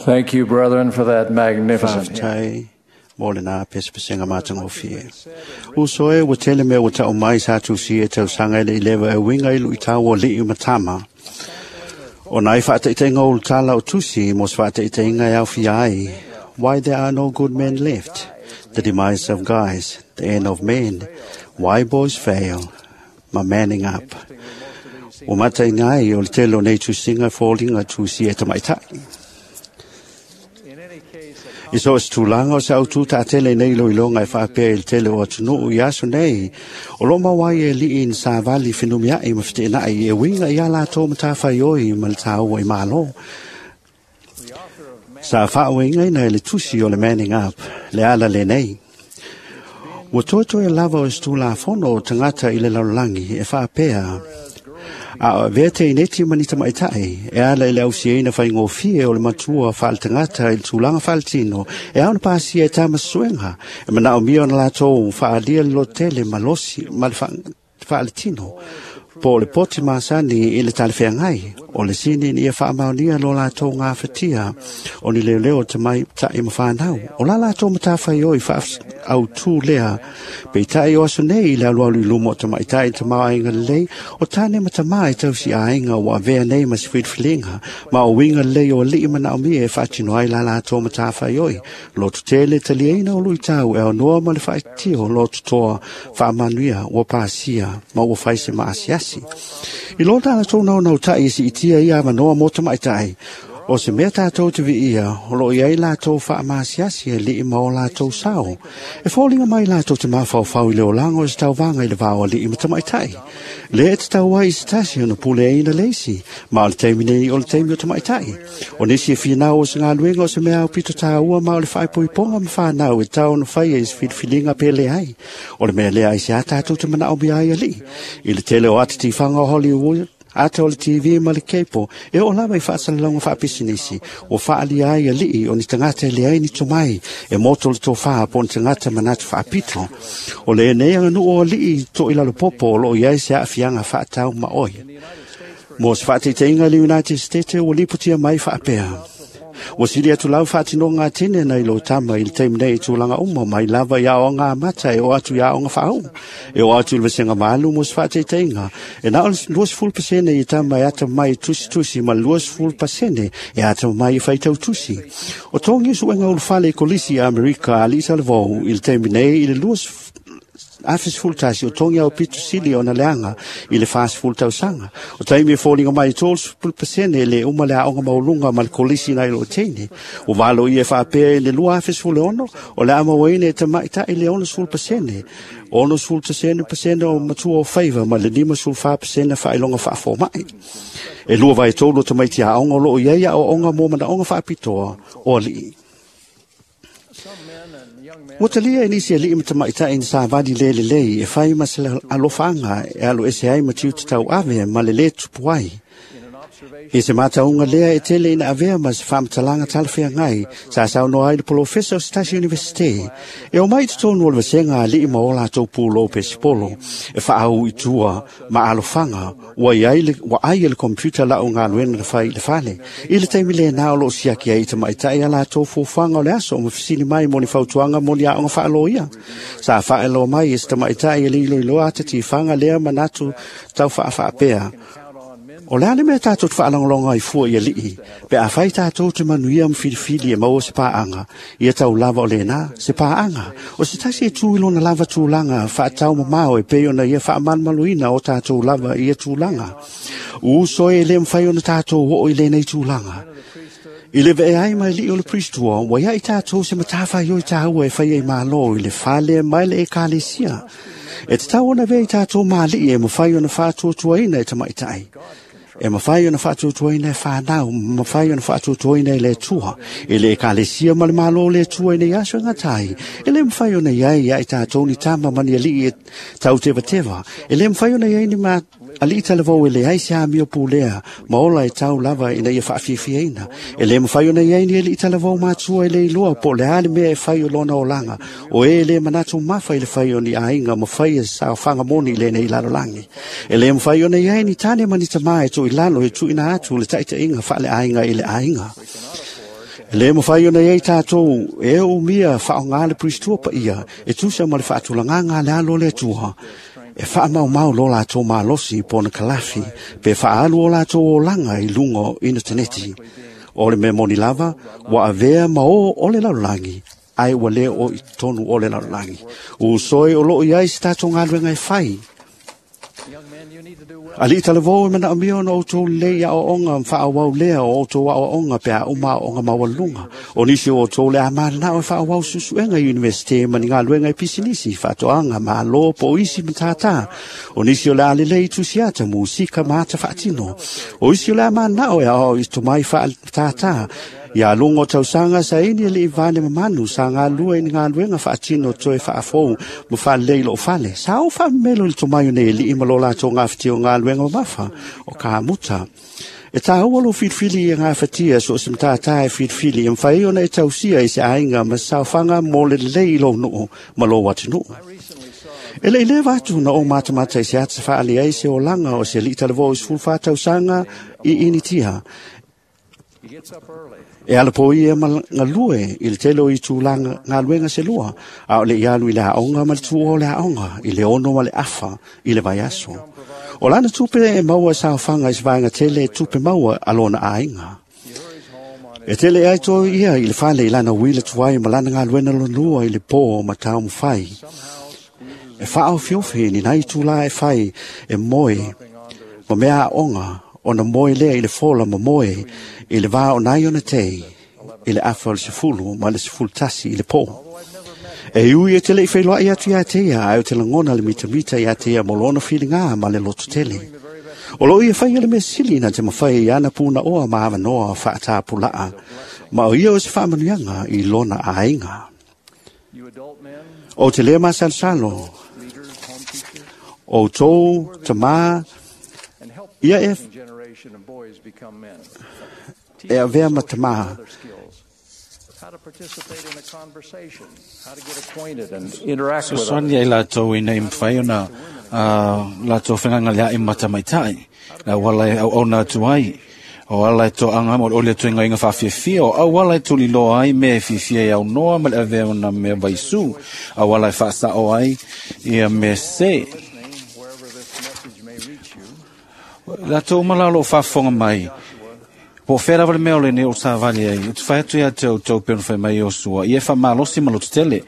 Thank you, brethren, for that magnificent hymn. Faafetai mo lena pesepesega matagofie. Uso e ua tele mea ua ta'u mai sa tusia e tausaga e le'i leva e uiga i lu'itau o ali'i ma tama. O nai fa'ataʻitaʻiga o ulutala o tusi mo se fa'ataʻitaʻiga e aofia ai Why There Are No Good Men Left, The Demise of Guys, The End of Men, Why Boys Fail, ma Manning Up. Ua mataina ai o le tele o nei tusiga e foliga tusia e tamaʻitaʻi. I so o se tulaga o se autū taʻatele nei iloiloga e faapea i le tele o atunuʻu i aso nei, o loo mau ai e aliʻi ni savali fenumiaʻi ma feteenaʻi e uiga iā latou matafaioi ma le tāua i mālō. Sa faauigaina e le tusi o le Manning Up le ala lenei. Ua toetoe lava o se tulafono o tagata i le lalolagi e faapea a o avea teineti ma ni tamaʻitaʻi e ala i le ausiaina faigofie o le matua faale-tagata i le tulaga faaletino e ao ona pasia e tama suega e manaʻomia ona latou faaalia le lototele malosi ma le faaletino po o le poti masani i le talafeagai o le sini ina ia faamaonia lo latou gafatia o ni leoleo tamaitaʻi ma fanau o la latou matafaioi faautū lea. Peitaʻi o aso nei i le alualu i luma o tamaʻitaʻi tamaoaiga lelei o tane ma tamā e tausi aiga ua avea nei ma se filifiliga ma o uiga lelei o aliʻi manaʻomia e faatino ai la latou matafaioi lototele taliaina o luʻitau e aonoa ma le faaitio lototoa faamanuia ua pasia ma ua fai se maasiasi. I lo latou naunautai e siitia ia avanoa mo tamaʻitaʻi o se mea tatou te viia o loo iai latou faamasiasi e liʻi ma o latou sao. E foliga mai latou te mafaufau i le olaga o se tauvaga i le vao aliʻi ma tamaʻitaʻi. Lea e tatau ai i se tasi ona puleaina le isi, ma o le taimi nei o le taimi o tamaʻitaʻi. O nisi e finau o se galuega o se mea aupito tāua ma o le faaipoipoga ma fanau e tau ona faia i se filifiliga pe leai. O le mea lea ai se a tatou te manaʻomia ai aliʻi. I le tele o ata tifaga o Hollywood, ata o le TV ma le kepo, e oo lava i faasalalauga faapisinisi, ua faaalia ai aliʻi o ni tagata e leai ni tomai, e moto le tofā po o ni tagata manatu faapito. O lenei aganuu o aliʻi toʻilalopopo o loo i ai se aafiaga faatau maʻoi. Mo se faataitaiga le United States ua lipotia mai faapea. Ua sili atu lau faatinoga atene nai lo tama i le taimi nei i tulaga uma mai lava i aoga amata e oo atu i aoga faauu. E oo atu i le vasega malu mo se faataitaiga. E na o le 20% i tama e atamai tusitusi ma le 20% e atamai e faitau tusi. O togi suega ulufale i kolisi i Amerika aliʻi talavou i le taimi nei i le 2011 o togi au pito sili ona leaga i le 40 tausaga. O taimi e foliga mai 30% le uma le aoga maualuga ma le kolisi nai lo teine. O valo ia e faapea i le 2016 o le a mauaina e tamaʻitaʻi le 60%. 60% o matua o faiva ma le 54% faailoga faafomaʻi. E 2/3 o tamaiti aoga o loo iai aoaoga mo manaʻoga faapitoa o aliʻi. Ua talia e nisi aliʻi ma tamaʻitaʻi ni savali le lelei e fai ma se alofaaga e alu ese ai ma tiute tauave ma le lē tupu ai. I se matauga lea e tele ina avea ma se faamatalaga talafeagai sa saunoa ai le polofesa o se tasi universite e omai i totonu o le vasega aliʻi ma o latou pulou pesipolo e faaau i tua ma alofaga ua iai le, ua ai e le computer lau galuega na fai i le fale. I le taimi lenā o loo siaki ai i tamaʻitaʻi a latou fuafuaga o le aso ma fesili mai mo ni fautuaga mo ni aoga faaloia. Sa faailoa mai e se tamaʻitaʻi e le iloiloa ata tifaga lea manatu tau faafaapea. O le a le mea tatou te faalogologo ai fua i aliʻi, pe afai tatou te manuia ma filifili e maua se paaga, ia tau lava o lenā, se paaga, o se tasi e tu i lona lava tulaga faataumamao e pei ona ia faamalumaluina o tatou lava i ia tulaga. Uso e, e le mafai ona tatou oo i lenei tulaga. I le ve'e ai ma aliʻi o le Priestua, ua iaʻi tatou se matafaioi tāua e faia i Mālō i le fale mai le Ekalesia. E tatau ona avea i tatou ma aliʻi e mafai ona faatuatuaina e tamaʻitaʻi. E mafai ona faatuatuaina e fanau, mafai ona faatuatuaina e le Atua, i le Ekalesia ma le Mālō o le Atua i nei aso e gata ai. E le mafai ona i ai ia i tatou ni tama ma ni aliʻi e tautevateva. E le mafai ona i ai ni ma aliʻi talavou e leai se amio pulea ma ola e tau lava ina ia faafiafiaina. E le mafai ona i ai ni aliʻi talavou matua e le iloa po o le a le mea e fai o lona olaga, o e le manatu mafa i le fai o ni aiga ma faia saofaga moni i lenei lalolagi. E le mafai ona i ai ni tane ma ni tamā e toʻilalo e tuuina atu le taʻitaʻiga faaleaiga i le aiga. Le mawhai ona iei tātou e o mia whaonga le pristua pa ia e tusa ma le whaatulanganga le alo le atua. E whaamau mau lo lātou malosi pona kalafi pe whaalu o lātou o langa i lungo i na teneti. O le me moni lava, wa avea ma o o le lalulangi, ai wa leo o i tonu o le lalulangi. U soe o loo iai si tātou ngā e whai. Ali talavo e mana omio no outou lei a oonga whaawau lea o outou a oonga pe a uma oonga mawalunga. O nisi o outou le amana o whaawau susuenga universite mani ngā luenga i pisinisi whaatoanga ma alo po isi matata. O nisi o le alelei tusiata musika maata whaatino. O isi o le amana o e ao i tomai whaatata. Ia lungo tausanga sa ini le ivane mamanu sa ngā lua i ngā luenga whaatino toe whaafou mo whalei lo whale. Sa o whamelo i tomaio nei li ima lo lātou ngā whiti o ngā luenga mafa o ka muta. E tā ua lo whiriwhiri i ngā whatia so se mtātā e whiriwhiri e mwhai ona e tausia i se ainga ma saofanga mō le lei lo nuu ma lo watu nuu. E le lewa atu na o matamata i se ata whaali ai se o langa o se lita levo i sfulfa tausanga i initia. E ala po ia ma ngalue i le telo i tūlanga ngā luenga se lua, a o le ialu i le aonga ma le tuo le aonga, i le ono ma le afa, i le vaiaso. O lana tupe e maua saofanga i se vaenga tele e tupe maua a lona ainga. E tele ai toi ia i le fale i lana wila tuai ma lana ngā luena lonua i le pō ma tau mwhai. E whaau fiofi ni nai tūla e whai e moe ma mea aonga ona moe lea i le fola ma moe i le vā o nai ona tei i le afa o le sefulu ma le sefulu tasi i le pō. E ui e te lei whailoa i atu ia te ia, ai o te langona le mitamita ia te ia mo lona whiringa ma le loto tele. O lo ia whai le mesili na te mawhai i ana pūna oa ma awanoa whaatāpulaa, ma o ia o se whaamanuianga i lona ainga. O te lea masalosalo, o tō tamā, ia e e avea matamaha. Sosoani ai lātou ina i mwhai ona lātou whanganga lea i matamaitai. La wala e au ona atu ai. O ala e tō anga mo ole tu inga whawhiawhia. O au ala e tuli loa ai me whiwhia i au noa ma le avea ona me vaisu. Au ala e whaasa o ai ia me se. Lātou malalo whawhonga mai. Po whera wale mea ole ne o tāwali ai, o te whai atu ia te au tau pēnu whai mai o sua, ia wha malosi ma lotu tele,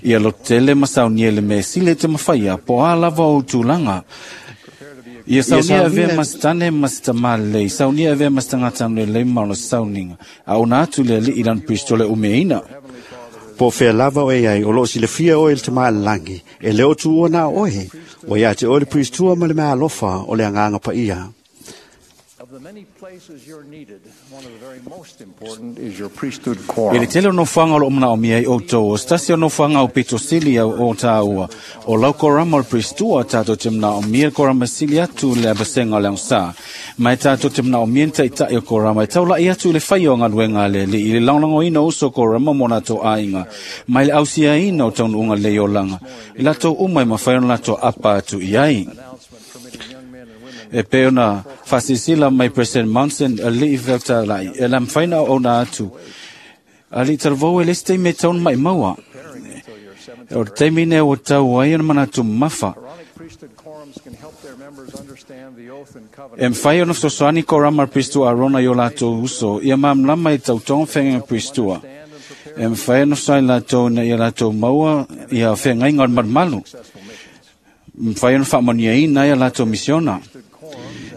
ia lotu tele ma saunia le me sile te mawhaia, po a lava o tūlanga. Ia saunia avea masitane masitamale, saunia avea masitangatanu le mauna sauninga, a ona atu le li ilan pristole umeina. Po whea lava o e ai, o lo si le fia o e le tamaa langi, e leo tu o nā oe, o ia te o le pristua ma le mea alofa o le anganga pa ia. E le tele o nofuanga o lo omana o mia i outou, o stasi o nofuanga o pito sili au o tāua, o lau korama o le pristua tātou te mna o mia korama sili atu le abasenga o le angsa. Mai tātou te mna o mia ntai o korama, e taulai atu le whai o ngaluenga le li, i le langlango ina uso korama mo nātou ainga, mai le ausia ina o taunu unga le iolanga, i lātou uma e mawhai o lātou apa atu i ai. E pe ona whasisila mai President Monson a li i lai, e la mwhaina o na atu. A li taravou e leste me taun mai maua. O te mine o tau ai ona mana tu mafa. E mwhai ona sosoani ko rama pristua arona i o lātou uso, ia mamlama i tau tonga whenga pristua. E mwhai ona sosoani lātou na ia lātou maua, ia whengainga o marumalu. Mwhai ona whaamania ina ia lātou misiona.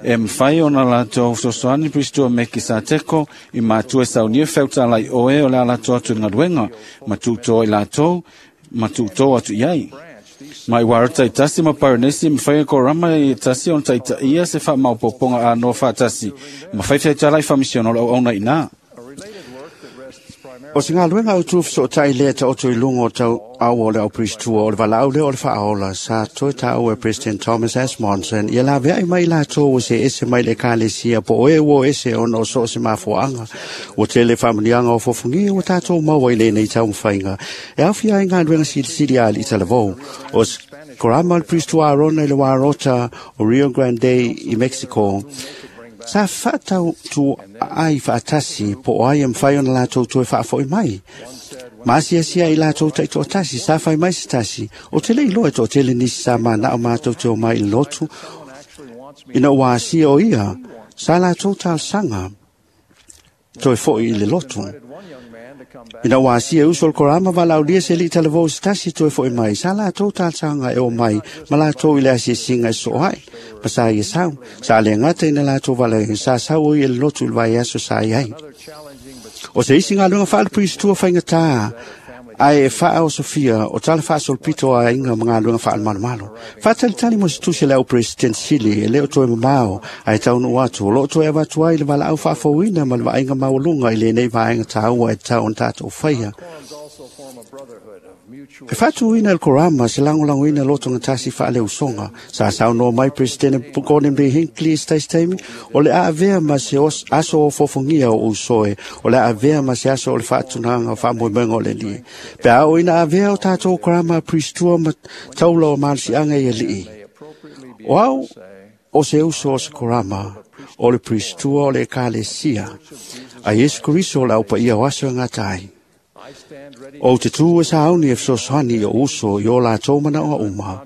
E mwhai ona lātou sosoani pristua me ki sa teko i mātua saunia wheuta lai oe o le lātou atu ngaruenga, ma tūtō i lātou, ma tūtō atu iai. Mai warata i tasi ma paranesi, mwhai ko rama i tasi on taita ia se wha maupoponga a no whaatasi, ma whai wheuta lai whamisiona o ona ina. O se ngā luenga au tū so tai lea ta oto i lungo tau au o le au pristua o le valaau le o le whaola sa toi ta au e President Thomas S. Monson ia la vea i mai lātou o se ese mai le kalesia po o e ua ese ona o so se mafuaanga o te le whamanianga o fofungia o tātou maua i lenei tau mwhainga e awhia ai ngā luenga silisili ali i talavou o korama le pristua Arona i le warota o Rio Grande i Mexico. Sa whaatau tu ai whaatasi po o ai e mwhai ona lātou toe whaafoi mai. Ma asia i lātou tai toatasi, sa whai mai se tasi. O te lei loa to tele nisi sa mana o mātou te o mai i lotu. Ina ua asia o ia, sa lātou talsanga toe foi i le lotu. Ina ua asia uso o le korama walaulia se li talavou se tasi toe foi mai. Sa lātou talsanga e o mai, ma lātou i le asia singa e so ai. Ma sa ia sau, sa le ngata ina lātou wala sa sau o i le lotu i le vai aso sa i ai. O se isi ngā lunga whaale priestua whaingatā, ai e whaa o Sofia, o tala whaasolopito a inga ma ngā lunga whaale malomalo. Whaatalitali mo se tusi le au president sili, e leo toe mamao, ai taunu atu, o loo toe awatu ai le wala au whaafauina ma le vainga maulunga i le nei vaenga tāua e tau on tātou whaia. E whatuina el korama se langolangoina loto ngā tasi whaale usonga. Sa sau no mai President Gordon B. Hinckley stais taimi, o le aavea ma se aso o fofongia o usoe, o le aavea ma se aso o le whaatunanga o whaamoemoenga o le lie. Pe ao ina avea o tātou korama priestua ma taula o malisianga i alii. O au o se uso o se korama, o le priestua o le ekalesia, a Yesu Kristo o le aupa ia o aso ngā tai. O te tū e sāuni e fesoasoani o uso i o lātou mana o uma.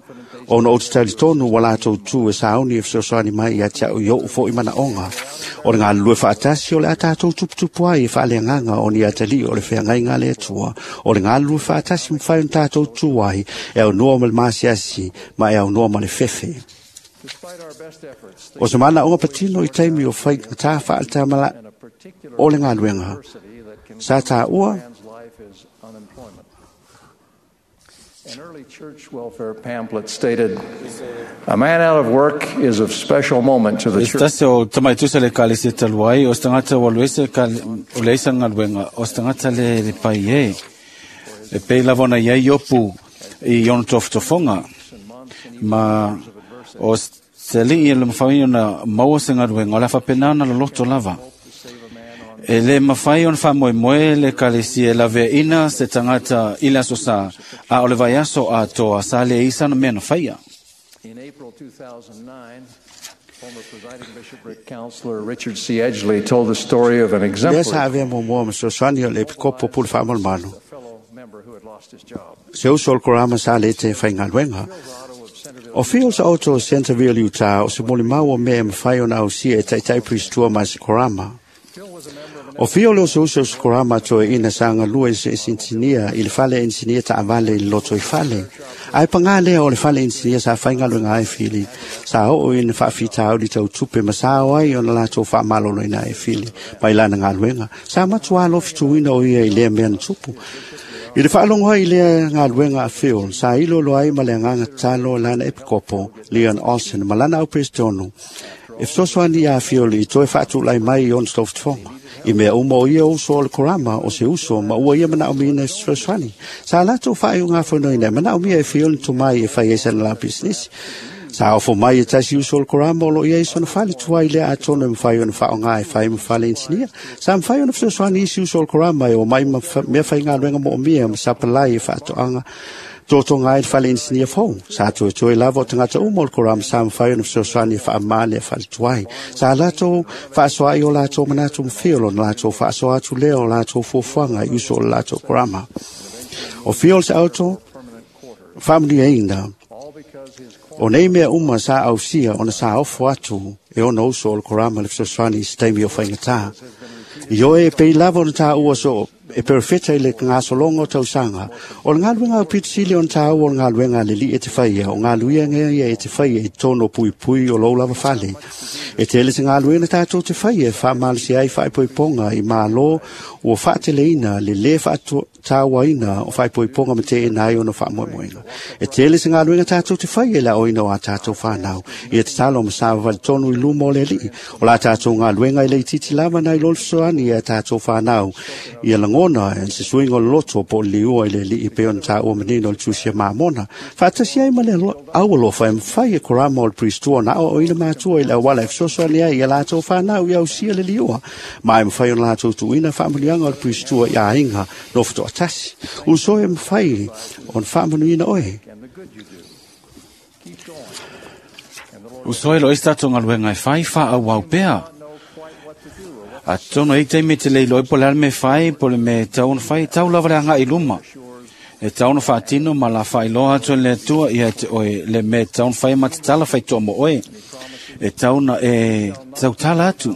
O na o te talitonu wa lātou tū e sāuni e fesoasoani mai ia te au i o ufo i mana onga. O ngā lue whaatasi o le a tātou tuputupu ai e whaaleanganga o ni atali o le wheangai ngā le atua. O le ngā lue whaatasi mwhai o tātou tū ai e au noa ma le maasiasi ma e au noa ma le fefe. O se mana onga patino i taimi o whai tā whaatamala o le ngā luenga. Sa tā ua. An early church welfare pamphlet stated, "A man out of work is of special moment to the church." Estase o tamaitusa le kalese taluai, o stangata o luese o leisa ngaluenga, o stangata le pai e. E pei lava ona iai iopu i ona tofotofoga. Ma o se alii e le mafai ona maua se galuega, o le a faapena ona loloto lava. E le mafai ona faamoemoe le ekalesia e laveaina se tagata i le aso sa, a o le vaiaso atoa sa leai sana mea na faia. In April 2009, former presiding bishopric counselor Richard C. Edgley told the story of an Lea exemplary sa avea muamua ma fesoasoani o le epikopo pule faamalomalo. fellow member who had lost his job. Se uso o le korama sa le te whaingaluenga. O fio sa auto o Centerville, Utah, o se molimau o mea e mawhai ona ausia e taitai priestua ma se korama. O fio leo se uso o se korama toe ina sa ngalua i se insinia i le fale insinia ta avale i le loto i fale. Ai pangā lea o le fale insinia sa whaingaluenga ai fili. Sa oo ina whaafita au li tau tupe ma sa o ai ona lātou whaamalolo ina e fili. Mai lana ngaluenga. Sa matua alofituina o ia i lea mea na tupu. I le whaalongo ai lea ngaluenga a Phil, sa ilo lo ai ma le anganga talo lana epikopo, Leon Olsen, ma lana au prestonu. E fesoasoani ia Phil i toe whaatulai mai i ona tofotofoga. I mea uma o ia uso o le korama o se uso ma ua ia manaomia e fesoasoani. Sa latou faaiuga fonoina manaomia e Phil ni tomai e fai ai sana la business. Sa ofo mai e tasi uso o le korama o lo ia i sona fale tuai lea atonu e mawhai ona whaonga e whai ma fale insinia. Sa mawhai ona fesoasoani isi uso o le korama e o mai ma mea whai ngā luenga mo o mea ma sapalai e whaatoanga. Tōtonga ai le fale insinia fou. Sa toe toe lava o tangata uma o le korama sa mawhai ona fesoasoani e whaamale e fale tuai. Sa lātou whaasoa i o lātou manatu mwhio o lātou whaasoa atu lea o lātou fuafuaga i uso o le lātou korama. O fio se auto, whaamuni eina. O nei mea uma sa ausia ona sa ofo atu e ona uso o le korama le fesoasoani i se taimi o whaingatā. I oe e pei lava ona tā ua so e perfeta i le ngasologa o tausaga. O le galuega o pitusili ona tāua o le galuega a le alii e te faia, o galuega ia e te faia i totonu o puipui o lou lava fale. E tele se galuega tatou te faia e faamalosi ai faaipoipoga i mālō ua faateleina le lē faatauaina o faaipoipoga ma teena ai ona faamoemoega. E tele se galuega tatou te faia i le aoina o a tatou fanau. Ia tatalo ma savavali tonu i luma o le alii. O la tatou galuega i le itiiti lava nai lo le fesoani ia tatou fanau. Ia lagona e se suiga o le loto po o le liua i le alii pe ona taua manino o le tusi a mamona. Faatasi ai ma le aualofa e mafai e korama o le priestua na aoaoina matua i le auala e fesoasoani ai ia latou fanau ia ausia le liua. Ma e mafai ona latou tuuina faamanuiaga o le priestua i aiga no fetoatasi. Uso e mafai ona faamanuiina oe. Usoe lo isi tatou galuega e fai faaauau pea. Atonu e taimi te le iloa po o le a le mea e fai, po o le mea e tatau ona fai, e tatau lava le agai i luma. E tatau ona faatino ma la faailoa atu e le Atua ia te oe le mea e tatau ona fai ma tatala faitoa mo oe. E tatau ona e tautala atu.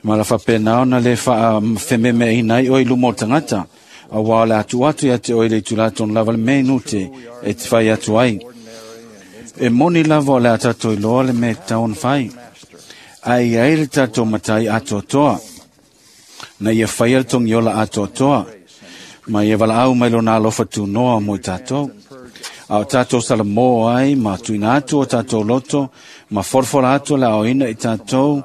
Ma la faapena ona le faafememeaina ai oe i luma o le tagata. Auā o le a tuu atu ia te oe le itulā tonu lava le mea minute e te fai atu ai. E moni lava o le a tatou iloa le mea e tatau ona fai. Ae i ai le tatou matai atoatoa, na ia faia le togiola atoatoa, ma ia valaau mai lona alofa tunoa mo i tatou. A o tatou salamo ai ma tuuina atu o tatou loto, ma folafola atu le aoina i tatou,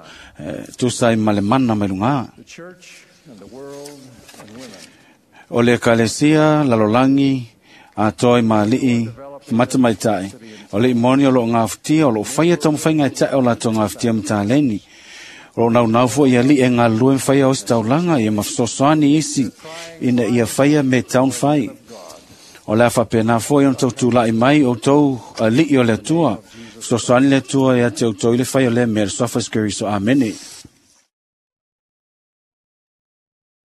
tusa ai ma le mana mai luga. The church and the world and women O le ekalesia, lalolagi, atoa i ma alii, ma tamaitai. O le moni o loo gafatia, o loo faia taumafaiga e tae o latou gafatia ma taleni. O loo naunau foi i alii e galulue ma faia ositaulaga ia ma fesoasoani isi ina ia faia me tatau ona fai. O le a faapena foi ona tautulai mai outou alii o le Atua. Fesoasoani le Atua ia te outou i le fai o lea mea i le suafa o Iesu Keriso. Amene.